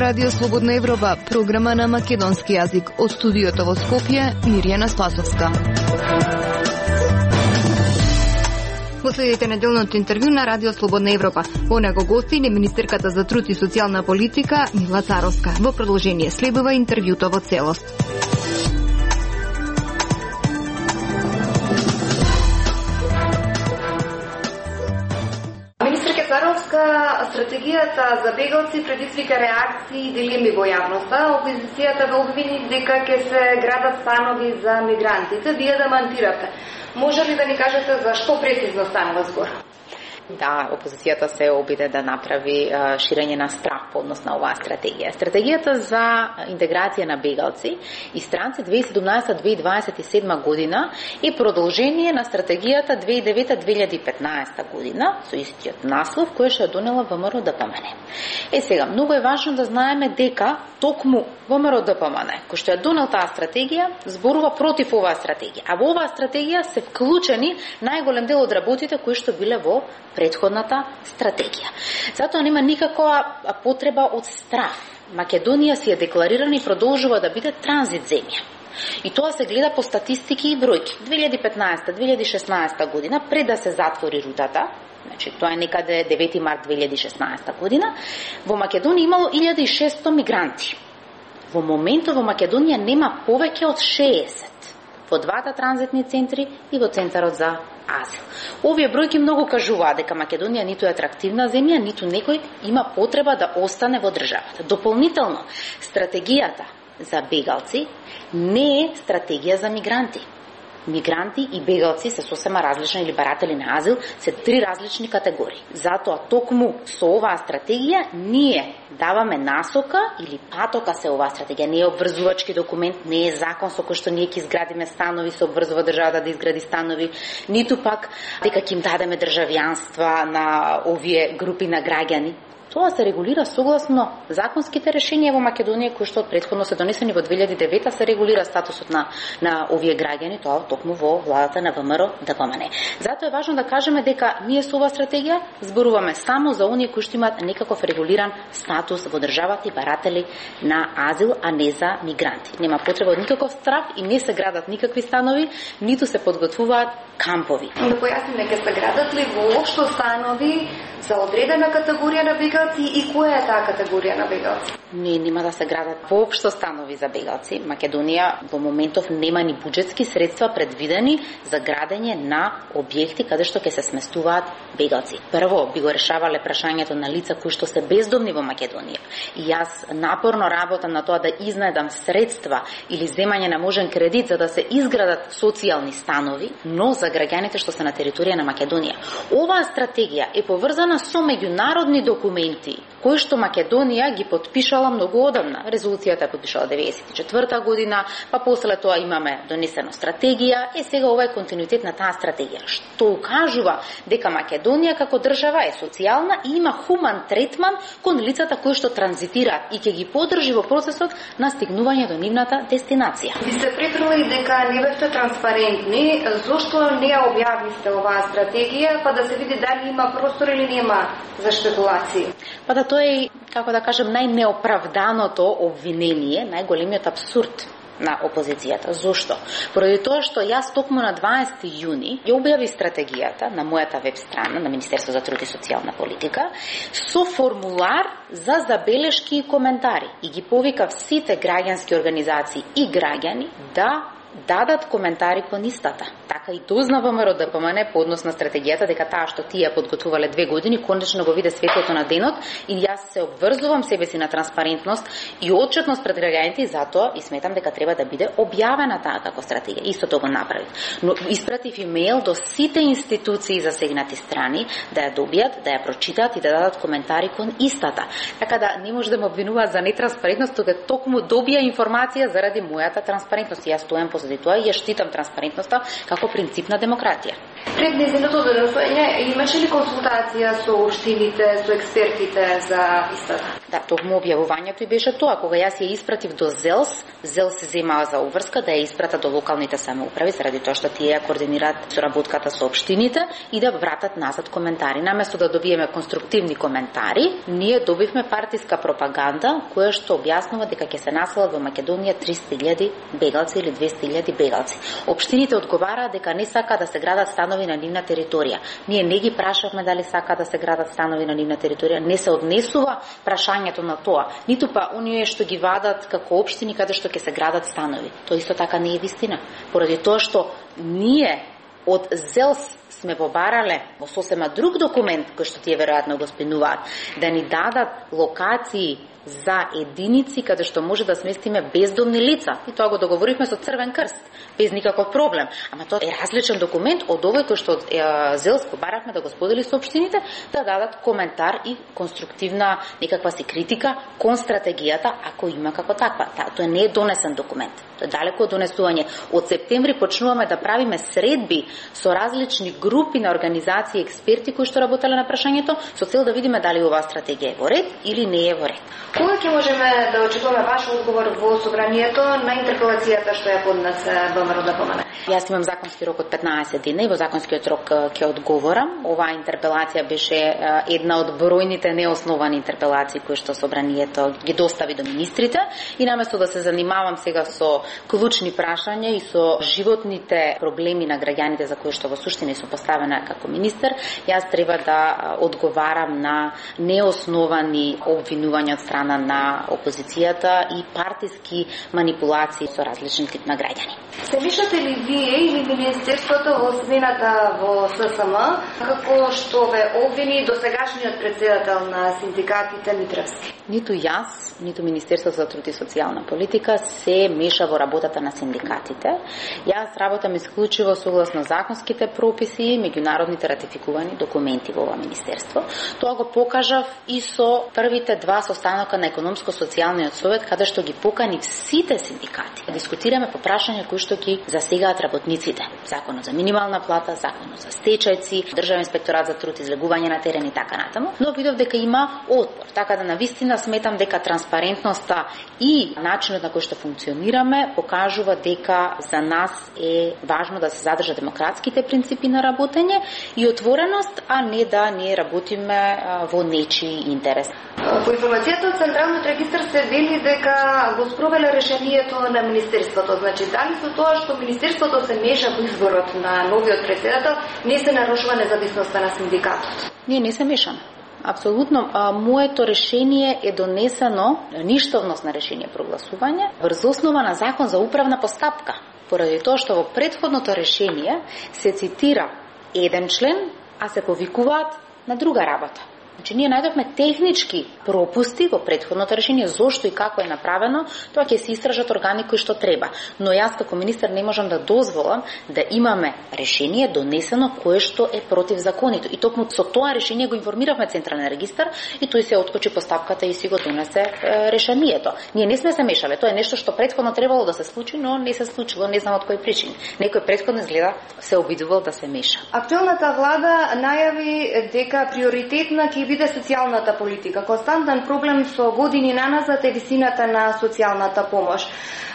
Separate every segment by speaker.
Speaker 1: Радио Слободна Европа, програма на македонски јазик. Од студиото во Скопје, Мирјана Спасовска. Го следите неделното интервју на Радио Слободна Европа. Во него гости е министерката за труд и социјална политика Мила Царовска. Во продолжение следува интервјуто во целост.
Speaker 2: Царовска, стратегијата за бегалци предизвика реакции и дилеми во јавноста. Опозицијата ве обвини дека ќе се градат станови за мигрантите. Вие демантиравте. Може ли да ни кажете за што прецизно станува збор?
Speaker 3: Да, опозицијата се обиде да направи ширење на страх по однос на оваа стратегија. Стратегијата за интеграција на бегалци и странци 2017-2027 година е продолжение на стратегијата 2009-2015 година со истиот наслов кој што донела ВМРО ДПМН. Сега, многу е важно да знаеме дека токму ВМРО ДПМН, кој што ја донел таа стратегија, зборува против оваа стратегија. А во оваа стратегија се вклучени најголем дел од работите кои што биле во претходната стратегија. Затоа нема никаква потреба од страх. Македонија си е декларирана и продолжува да биде транзит земја. И тоа се гледа по статистики и бројки. 2015-2016 година, пред да се затвори рутата, значи тоа е некаде 9 март 2016 година, во Македонија имало 1600 мигранти. Во моментот во Македонија нема повеќе од 60 во двата транзитни центри и во центарот за азил. Овие бројки многу кажуваат дека Македонија ниту е атрактивна земја, ниту некој има потреба да остане во државата. Дополнително, стратегијата за бегалци не е стратегија за мигранти. Мигранти и бегалци се сосема различни, или баратели на азил се три различни категории. Затоа токму со оваа стратегија ние даваме насока или патока се оваа стратегија. Не е обврзувачки документ, не е закон со кој што ние ќе изградиме станови, се обврзува државата да изгради станови, ниту пак дека ќе им дадеме државјанства на овие групи на граѓани. Тоа се регулира согласно законските решенија во Македонија кои што претходно се донесени во 2009 се регулира статусот на овие граѓани, тоа токму во владата на ВМРО ДПМН. Затоа е важно да кажеме дека ние со оваа стратегија зборуваме само за оние кои што имаат некаков регулиран статус во државата и баратели на азил, а не за мигранти. Нема потреба од никаков страх и не се градат никакви станови, ниту се подготвуваат кампови.
Speaker 2: Да појасниме, ќе се градат ли воопшто станови за одредена категорија на бегалци и која е таа категорија на бегалци?
Speaker 3: Не, нема да се градат воопшто станови за бегалци. Македонија во моментов нема ни буџетски средства предвидени за градење на објекти каде што ќе се сместуваат бегалци. Прво би го решавале прашањето на лица кои што се бездомни во Македонија. И јас напорно работам на тоа да изнајдам средства или земање на можен кредит за да се изградат социјални станови, но за граѓаните што се на територија на Македонија. Оваа стратегија е поврзана со меѓународни документи кои што Македонија ги потпишала многу одамна. Резолуцијата е потпишала 94 година, па после тоа имаме донесено стратегија, сега ова е континуитет на таа стратегија, што укажува дека Македонија како држава е социјална и има хуман третман кон лицата кои што транзитираат и ќе ги поддржи во процесот на стигнување до нивната дестинација.
Speaker 2: Ви се прекрили дека не бевте транспарентни, зошто не ја објавивте оваа стратегија, па да се види дали има простор или нема за шпекулации?
Speaker 3: Па да тоа е, како да кажем, најнеоправданото обвинение, најголемиот абсурд на опозицијата. Зошто? Поради тоа што јас токму на 20 јуни ја објави стратегијата на мојата веб страна на Министерство за труд и социјална политика со формулар за забелешки и коментари и ги повикав сите граѓански организации и граѓани да дадат коментари по нистата. Така и дозна ВМРО ДПМН по однос на стратегијата дека таа што тие подготвувале 2 години конечно го виде светлото на денот и јас се обврзувам себе си на транспарентност и отчетност пред граѓаните и затоа и сметам дека треба да биде објавена таа како стратегија. Исто тоа го направив. Но испратив имејл до сите институции засегнати страни да ја добијат, да ја прочитаат и да дадат коментари кон истата. Така да не може да ме обвинуваат за нетранспарентност, тога токму добија информација заради мојата транспарентност. Јас стојам по позади тоа и ја штитам транспарентноста како принцип на демократија.
Speaker 2: Пред нејзиното доносење имаше ли консултација со општините, со експертите за истата?
Speaker 3: Да, токму објавувањето и беше тоа, кога јас ја испратив до ЗЕЛС се земаа за обврска да ја испрата до локалните самоуправи, заради тоа што тие ја координираат соработката со општините и да вратат назад коментари. Наместо да добиеме конструктивни коментари, ние добивме партиска пропаганда која што објаснува дека ќе се населат во Македонија 300.000 бегалци или 200.000 бегалци. Општините одговараат дека не сака да се градат станови на нивна територија. Ние не ги прашавме дали сака да се градат станови на нивна територија, не се однесува прашањето на тоа. Ниту па оние што ги вадат како општини каде што ќе се градат станови. Тоа исто така не е вистина. Поради тоа што ние од ЗЕЛС сме побарале во сосема друг документ кој што тие веројатно го спинуваат, да ни дадат локации за единици каде што може да сместиме бездомни лица. И тоа го договоривме со Црвен крст, без никаков проблем. Ама тоа е различен документ од овој кој што ЗЕЛС побарахме да го сподели со општините, да дадат коментар и конструктивна некаква си критика кон стратегијата, ако има како таква. Тоа не е донесен документ. Тоа е далеко од донесување. Од септември почнуваме да правиме средби со различни групи на организации и експерти кои што работеле на прашањето, со цел да видиме дали оваа стратегија е во ред или не е во ред.
Speaker 2: Кога ќе можеме да очекуваме ваш одговор во собранието на интерпелацијата што ја поднесе ВМРО ДПМН?
Speaker 3: Јас имам законски рок од 15 дена и во законскиот рок ќе одговорам. Оваа интерпелација беше една од бројните неосновани интерпелации кои што собранието ги достави до министрите и наместо да се занимавам сега со клучни прашања и со животните проблеми на граѓаните за кои што во суштина сум поставена како министер, јас треба да одговарам на неосновани обвинувања од страна на опозицијата и партиски манипулации со различен тип на граѓани.
Speaker 2: Се мишате ли вие или Министерството во смената во ССМ како што ве обвини досегашниот председател на синдикатите Митревски?
Speaker 3: Ниту јас, ниту Министерството за труд и социјална политика се меша во работата на синдикатите. Јас работам исклучиво согласно законските прописи и меѓународните ратификувани документи во ова министерство. Тоа го покажав и со првите два состанока на економско-социјалниот совет, каде што ги покани сите синдикати. Дискутираме по прашања кои што ги засегаат работниците. Законот за минимална плата, законот за стечајци, Државен инспекторат за труд, излегување на терен и така натаму. Но видов дека има отпор. Така да навистина сметам дека транспарентноста и начинот на кој што функционираме покажува дека за нас е важно да се задржат демократските принципи на работење и отвореност, а не да ние работиме во нечии интерес.
Speaker 2: По информацијата од Централниот регистар се вели дека го спровеле решението на Министерството. Значи, дали со тоа што Министерството се меша во изборот на новиот председател, не се нарушува независноста на синдикатот?
Speaker 3: Не се мешаме. Апсолутно, моето решение е донесено, ништовност на решение прогласување, врз основа на закон за управна постапка. Поради тоа што во претходното решение се цитира еден член, а се повикуваат на друга работа. Значи, ние најдовме технички пропусти во претходното решение, зошто и како е направено, тоа ќе се истражат органи кои што треба. Но јас како министер не можам да дозволам да имаме решение донесено кое што е против законито. И токму со тоа решение го информиравме Централен регистар и тој се откочи постапката и си го донесе решението. Ние не сме се мешале, тоа е нешто што претходно требало да се случи, но не се случило, не знам од кој причини. Некој претходно изгледа се обидувал да се меша.
Speaker 2: Актуелната влада најави дека приоритетна ќе биде социјалната политика. Константен проблем со години наназад е висината на социјалната помош.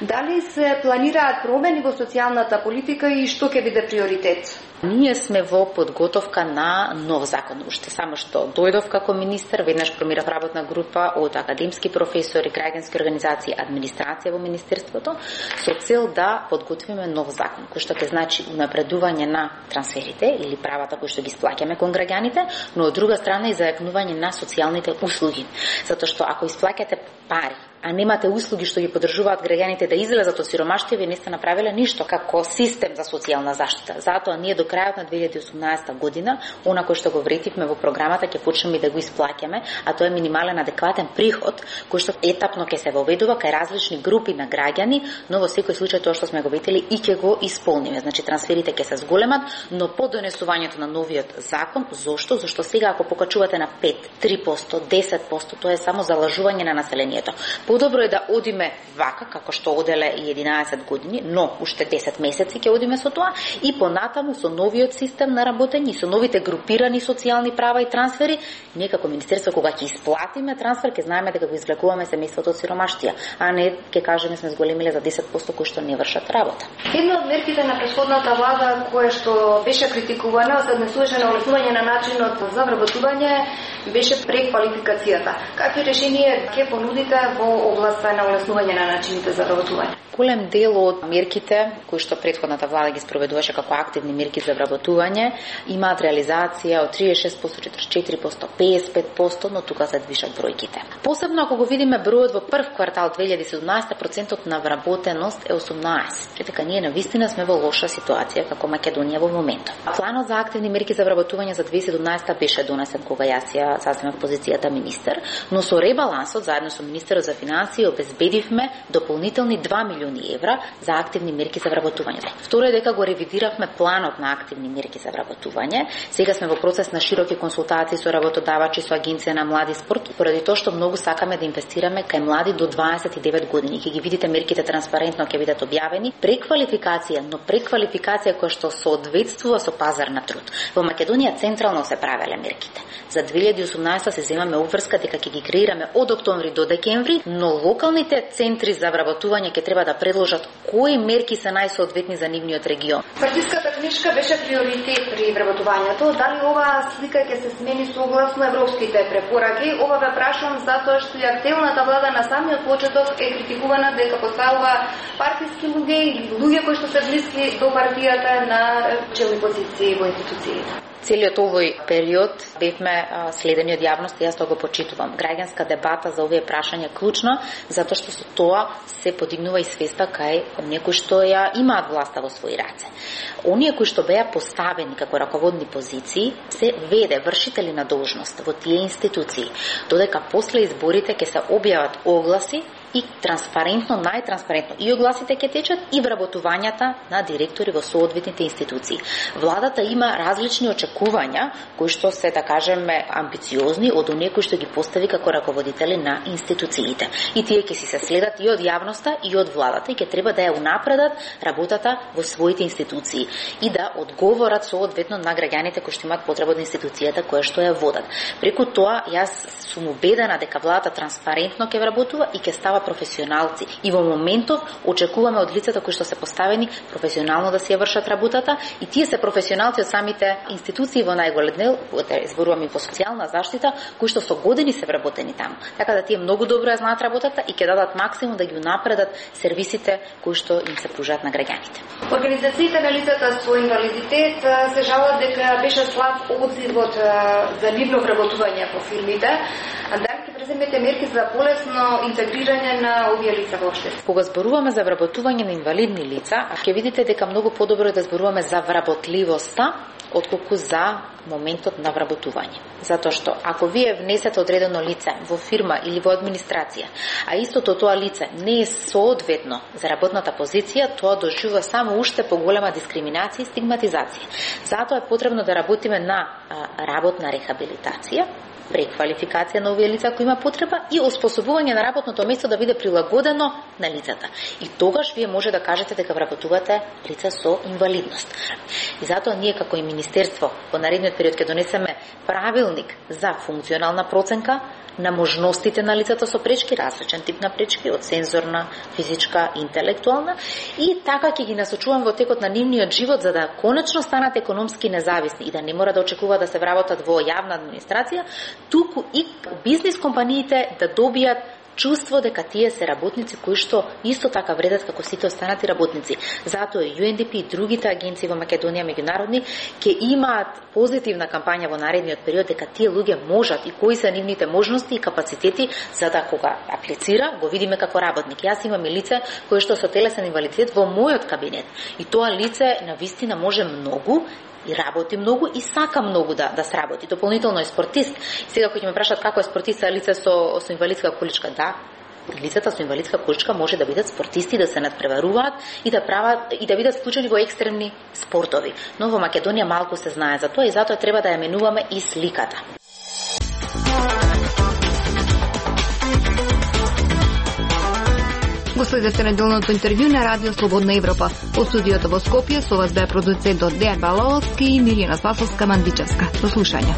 Speaker 2: Дали се планираат промени во социјалната политика и што ќе биде приоритет?
Speaker 3: Ние сме во подготовка на нов закон. Уште само што дојдов како министер, веднаш формирав работна група од академски професори, граѓански организации, администрација во министерството, со цел да подготвиме нов закон, кој што ќе значи унапредување на трансферите или правата кои што ги исплаќаме кон граѓаните, но од друга страна и зајакнување на социјалните услуги. Затоа што ако исплаќате пари, а немате услуги што ги поддржуваат граѓаните да излезат од сиромаштво, вие не сте направиле ништо како систем за социјална заштита. Затоа ние до крајот на 2018 година, она кој што го вретивме во програмата, ќе почнеме да го исплаќаме, а тоа е минимален адекватен приход, кој што етапно ќе се воведува кај различни групи на граѓани, но во секој случај тоа што сме го ветили и ќе го исполниме. Значи трансферите ќе се зголемат, но по донесувањето на новиот закон, зошто? Зашто сега ако покачувате на 5, 3%, 10%, тоа е само залажување на населението. Подобро е да одиме вака, како што оделе и 11 години, но уште 10 месеци ќе одиме со тоа и понатаму со новиот систем на работење, со новите групирани социјални права и трансфери, ние како министерство кога ќе исплатиме трансфер, ќе знаеме дека го извлекуваме семејството од сиромаштија, а не ќе кажеме сме зголемиле за 10% кои што не вршат работа.
Speaker 2: Една од мерките на претходната влада која што беше критикувана, се однесуваше на олеснување на начинот за вработување, беше преквалификацијата. Какви решенија ќе понудите во областа на олеснување на начините за вработување?
Speaker 3: Голем дел од мерките кои што претходната влада ги спроведуваше како активни мерки за вработување имаат реализација од 36%, 44%, 55%, но тука се движат бројките. Посебно ако го видиме бројот во прв квартал 2017, процентот на вработеност е 18%. Така ние навистина сме во лоша ситуација како Македонија во моментот. Планот за активни мерки за вработување за 2017 беше донесен кога јас ја заземав позицијата министер, но со ребалансот заедно со министерот за финансии обезбедивме дополнителни 2 милиони евра за активни мерки за вработување. Второ е дека го ревидиравме планот на активни мерки за вработување. Сега сме во процес на широки консултации со работодавачи, со Агенција на млади спорт, поради тоа што многу сакаме да инвестираме кај млади до 29 години. Ќе ги видите мерките транспарентно, ќе бидат објавени. Преквалификација, но преквалификација која што соодветствува со пазар на труд. Во Македонија централно се правеле мерките. За 2018 се земаме обврска дека ќе ги креираме од октомври до декември, но локалните центри за вработување ќе треба да предложат кои мерки се најсоодветни за нивниот регион.
Speaker 2: Партиската книжка беше приоритет при вработувањето. Дали оваа слика ќе се смени согласно европските препораки? Ова ве прашувам затоа што и активната влада на самиот почеток е критикувана дека поставува партиски луѓе или луѓе кои што се блиски до партијата на челни позиции во институциите.
Speaker 3: Целиот овој период бевме следени од јавност и јас тоа го почитувам. Граѓанска дебата за овие прашања клучна, затоа што со тоа се подигнува и свеста кај некои што ја имаат власта во своји раце. Оние кои што беа поставени како раководни позиции се веде вршители на должност во тие институции, додека после изборите ќе се објават огласи и транспарентно, најтранспарентно и огласите ќе течат и вработувањата на директори во соодветните институции. Владата има различни очекувања кои што се, да кажеме, амбициозни од оние кои што ги постави како раководители на институциите. И тие ќе си се следат и од јавноста и од владата и ќе треба да ја унапредат работата во своите институции и да одговорат соодветно на граѓаните кои што имаат потреба од институцијата која што ја водат. Преку тоа јас сум убедена дека владата транспарентно ќе вработува и ќе става професионалци. И во моментов очекуваме од лицата кои што се поставени професионално да си ја вршат работата и тие се професионалци од самите институции во најголем дел, зборуваме во социјална заштита, кои што со години се вработени таму. Така да тие многу добро ја знаат работата и ќе дадат максимум да ги унапредат сервисите кои што им се пружаат на граѓаните.
Speaker 2: Организациите на лицата со инвалидитет се жалат дека беше слаб одзивот за нивно вработување по фирмите. Дали ќе преземете мерки за полесно интегрирање на овие лица во општеството?
Speaker 3: Кога зборуваме за вработување на инвалидни лица, ќе видите дека многу подобро е да зборуваме за вработливоста отколку за моментот на вработување. Затоа што ако вие внесете одредено лице во фирма или во администрација, а истото тоа лице не е соодветно за работната позиција, тоа доживува само уште поголема дискриминација и стигматизација. Затоа е потребно да работиме на работна рехабилитација, преквалификација на овие лица кои има потреба и оспособување на работното место да биде прилагодено на лицата. И тогаш вие може да кажете дека вработувате лица со инвалидност. И затоа ние како и министерство во наредниот период ќе донесеме правилник за функционална проценка на можностите на лицата со пречки, различен тип на пречки, од сензорна, физичка, интелектуална, и така ќе ги насочувам во текот на нивниот живот за да конечно станат економски независни и да не мора да очекуваат да се вработат во јавна администрација, туку и бизнис компаниите да добијат чувство дека тие се работници кои што исто така вредат како сите останати работници. Затоа и UNDP и другите агенции во Македонија меѓународни ќе имаат позитивна кампања во наредниот период дека тие луѓе можат и кои се нивните можности и капацитети за да кога аплицира го видиме како работник. Јас имам и лице кое што со телесен инвалидитет во мојот кабинет и тоа лице навистина може многу и работи многу и сака многу да сработи. Дополнително е спортист. И сега кој ќе ме прашат како е спортист лице со инвалидска количка, да, лицата со инвалидска количка може да бидат спортисти, да се надпреваруваат и да прават и да бидат вклучени во екстремни спортови. Но во Македонија малку се знае за тоа и затоа треба да ја менуваме и сликата.
Speaker 1: Го следете неделното интервју на Радио Слободна Европа. Од студиото во Скопје со вас бе продуцентот Дејан Баловски и Мирјана Спасовска-Мандичевска. До слушање.